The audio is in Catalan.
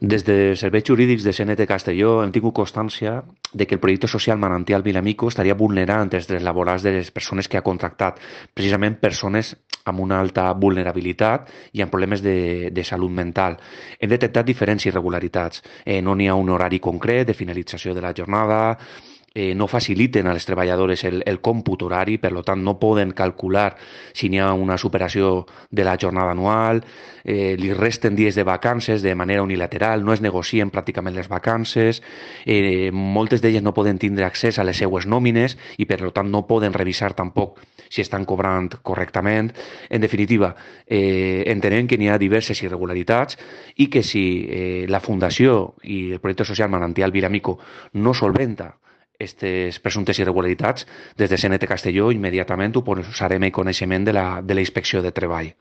Des de serveis jurídics de CNT Castelló hem tingut constància de que el projecte social Manantial Vilamico estaria vulnerant els drets laborals de les persones que ha contractat, precisament persones amb una alta vulnerabilitat i amb problemes de salut mental. Hem detectat diferents irregularitats. No n'hi ha un horari concret de finalització de la jornada, no faciliten a les treballadores el còmput horari, per tant no poden calcular si n'hi ha una superació de la jornada anual, li resten dies de vacances de manera unilateral, no es negocien pràcticament les vacances, moltes d'elles no poden tindre accés a les seues nòmines i per tant no poden revisar tampoc si estan cobrant correctament. En definitiva, entenem que n'hi ha diverses irregularitats i que si la Fundació i el projecte social Manantial Vilamico no solventa aquestes presumptes irregularitats, des de CNT Castelló immediatament ho posarem en coneixement de la Inspecció de Treball.